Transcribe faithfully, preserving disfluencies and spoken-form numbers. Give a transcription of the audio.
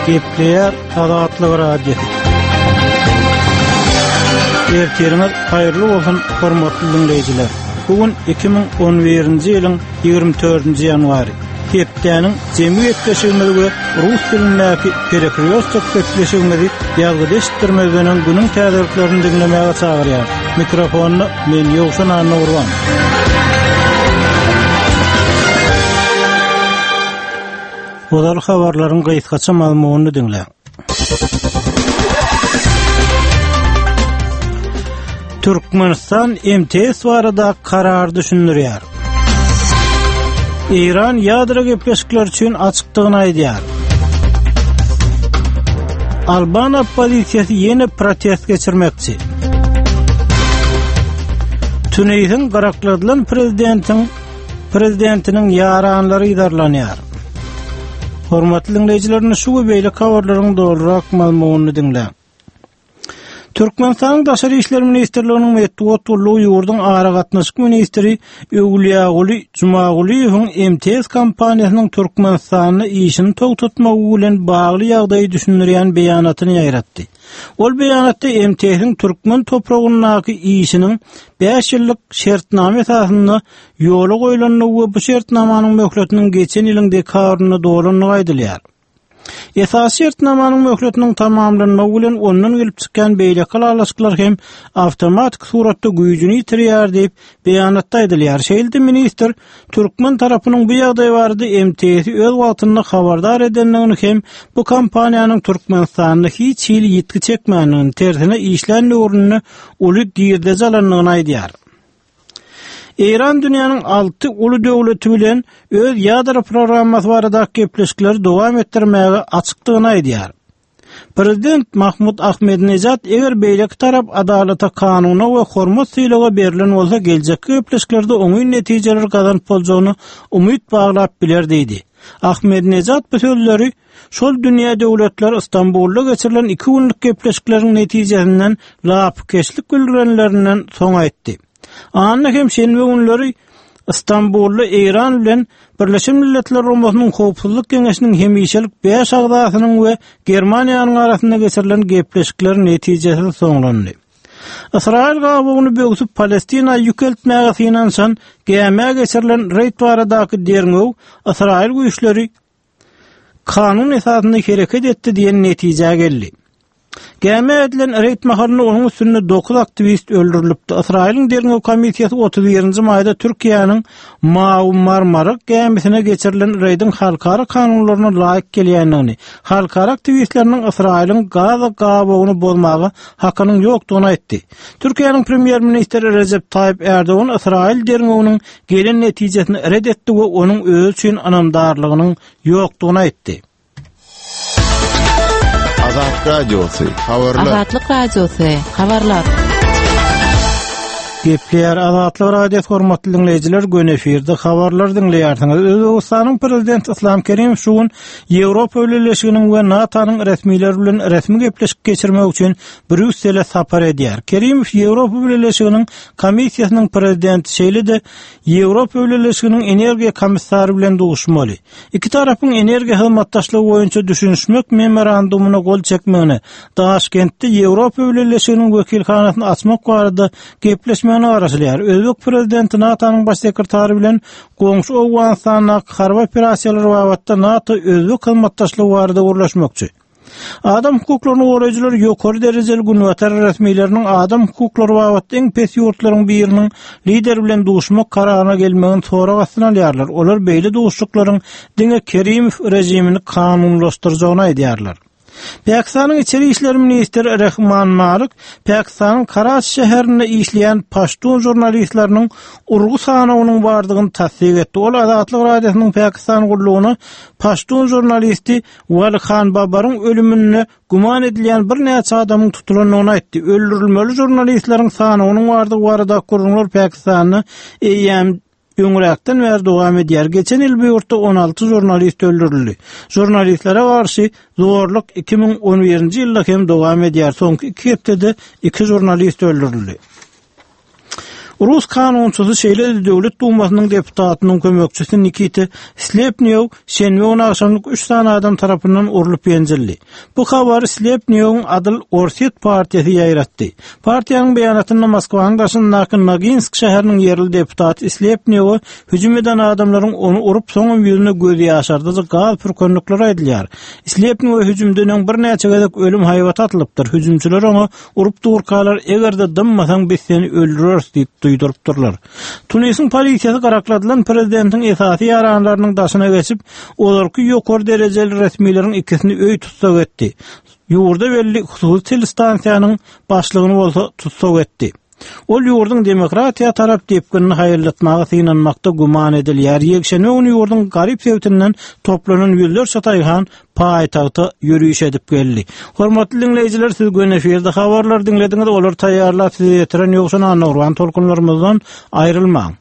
Gepleýär Azatlyk Radiosy. Ertiriňiz haýyrly bolsun, hormatly diňleýjiler. Bu gün iki müň on birinji ýylyň ýigrimi dördünji ýanwary. Hepdäniň jemi gepleşigimizi we rus dilindäki Perekrýostok gepleşigimizi ýazgyda eşitdirmezden öň günüň täzeliklerini diňlemäge çagyrýar. Mikrofonda men Ýowşan Annagurban. Ozal habarlaryň gysgaça mazmunyny diňläň. Türkmenistan M T S barada karar düşündirýär. Eýran ýadro gepleşikleri üçin açykdygyny aýdýar. Alban oppozisiýasy ýene protest geçirmekçi. Tunisiň gyrakladylan prezidentiň prezidentiniň ýaranlary yzarlanýar. Hormatly dinleýjiler, şu we beýleki habarlaryň dolurak mazmunyny diňläň. Türkmenistanyň Daşary işler ministrliginiň metbugat gullugy ýurduň aragatnaşyk ministri Öwlüýaguly Jumagulyýewiň M T S kompaniýasynyň Türkmenistanda işini togtatmagy bilen bagly ýagdaýy düşündirýän beýanatyny ýaýratdy. Ol beýanatda M T S-iň türkmen topragyndaky işiniň bäş ýyllyk şertnama esasynda ýola goýlandygy we bu şertnamanyň möhletiniň geçen ýylyň dekabrynda dolandygy aýdylýar. Esasy şertnamanyň möhletiniň tamamlanmagy bilen ondan gelip çykýan beýleki ylalaşyklar hem awtomatik suratda güýjüni ýitirýär diýip beýanatda aýdylýar. Şeýle-de ministr türkmen tarapynyň bu ýagdaý barada M T S-i öz wagtynda habardar edendigini hem bu kompaniýanyň Türkmenistanda hiç hili ýitgi çekmändigini, tersine işlän döwründe uly girdeji alandygyny aýdýar. Eýran dünýäniň alty uly döwleti bilen öz ýadro programmasy barada gepleşikleri dowam etdirmäge açykdygyny aýdýar. Prezident Mahmud Ahmedinejad eger beýleki tarap adalata, kanuna we hormat sylaga berlen bolsa geljekki gepleşiklerde oňyn netijeler gazanyp boljagyny umyt baglap biler diýdi. Ahmedinejad bu sözleri şol dünýä döwletleri Istanbulda geçirilen iki günlük gepleşikleriň netijesinden lapykeçlik bildirenlerinden soň aýtdy. Anna hem şenbe günleri Istanbulda Eýran bilen Birleşen Milletler Guramasynyň Howpsuzlyk Geňeşiniň hemişelik bäş agzasynyň we Germaniýanyň arasynda geçirilen gepleşikler netijesiz soňlandy. Ysraýyl gabagyny böwsüp Palestina ýük eltmäge synanyşan gämä geçirilen reýd baradaky derňew Ysraýyl güýçleri kanun esasynda hereket etdi diýen netijä geldi. Gämä edilen reýd mahalynda onuň üstünde dokuz aktiwist öldürilipdi. Ysraýylyň derňew komissiýasy otuz birinji maýda Türkiýäniň Mawy Marmara gämisine geçirilen reýdiň halkara kanunlaryna laýyk gelýändigini, halkara aktiwistleriniň Ysraýylyň Gaza gabagyny bozmaga hakynyň ýokdugyny aýtdy. Türkiýäniň premýer-ministri Recep Tayyip Erdogan Ysraýyl derňewiniň gelen netijesini red etdi we onuň özi üçin ynamdarlygynyň ýokdugyny aýtdy. Azat Radiosy, habarlar. Azatlyk Radiosy, habarlar. Gepleýär Azatlyk Radiosy hormatly dinleýjiler, gün efirde habarlar dinleýärsiňiz. Özbegistanyň prezidenti Islam Kerimow şu gün Ýewropa Bileleşiginiň we NATO-nyň resmileri bilen resmi gepleşik geçirmek üçin Brýussele sapar edýär. Kerimow Ýewropa Bileleşiginiň komissiýasynyň prezidenti, şeýle-de Ýewropa Bileleşiginiň energiýa komissary bilen duşmaly. Iki tarapyň energiýa hyzmatdaşlygy boýunça düşünişmek memorandumyna gol çekmegine, Daşkentde Ýewropa Bileleşiginiň wekilhanasyny açmak barada gepleşmegine garaşylýar. Özbek prezidenti NATO-nyň baş sekretary bilen goňşy Owganystandaky harby operasiýalar babatda NATO özbek hyzmatdaşlygy barada gürleşmekçi. Adam hukuklaryny goraýjylar ýokary derejeli günbatar resmileriniň adam hukuklary babatda iň pes ýurtlaryň biriniň lider bilen duşmak kararyna gelmegini sorag astyna alýarlar. Olar beýle duşuklaryň diňe Kerimow rejimini kanunlaşdyrjagyny aýdýarlar. Pakistanyň içeri işler ministri Rehman Malik Pakistanyň Karaçi şäherinde işleýän paştun žurnalistleriniň urgy sanawynyň bardygyny tassyk etdi. Ol Azatlyk Radiosynyň Pakistan gullugyna paştun žurnalisti Wali Khan Babaryň ölümünde güman edilýän birnäçe adamyň tutulandygyny aýtdy. Öldürilmeli žurnalistleriň sanawynyň bardygy barada gürrüňler Pakistanda eýýäm öňräkden bäri dowam edýär. Geçen ýyl bu ýurtda on alty žurnalist öldürildi. Žurnalistlere garşy zorluk iki müň on birinji ýylda hem dowam edýär. Soňky iki hepdede iki žurnalist öldürildi. Rus kanunçysy şeýle Döwlet Dumasynyň deputatynyň kömekçisi Nikita Slepnýow şenbe güni agşamlyk üç sany adam tarapyndan urlup ýenjildi. Bu habary Slepnýowyň Adyl Orsýet partiýasy ýaýratdy. Partiýanyň beýanatynda Moskwanyň daşyndaky Noginsk şäheriniň ýerli deputaty Slepnýowa hüjüm eden adamlaryň ony urup soňam ýüzüne göz ýaşardyjy gaz pürkenlikleri aýdylýar. Slepnýowa hüjümden öň birnäçe gezek ölüm haýbaty atylypdyr. Hüjümçiler oňa urup durkalar eger-de dymmasaň biz seni öldüreris diýip duýdurypdyrlar. Tunisiň polisiýasy garakladylan prezidentiň esasy ýaranlarynyň daşyna geçip, ozalky ýokary derejeli resmileriň ikisini öý tussag etdi. Ýurda belli hususy telestansiýanyň başlygyny bolsa tussag etdi. Ol ýurduň demokratiýa tarap depginini haýyrlatmaga synanmakda güman edilýär. Ýekşenbe güni ýurduň garyp sebitinden toplanan ýüzlerçe taýhan paýtagta ýörüş edip geldi. Hormatly dinleýjiler, siz gün efirde habarlar diňlediňiz. Olar taýýarlap size ýetiren Ýowşan Annagurban tolkunlarymyzdan aýrylmaň.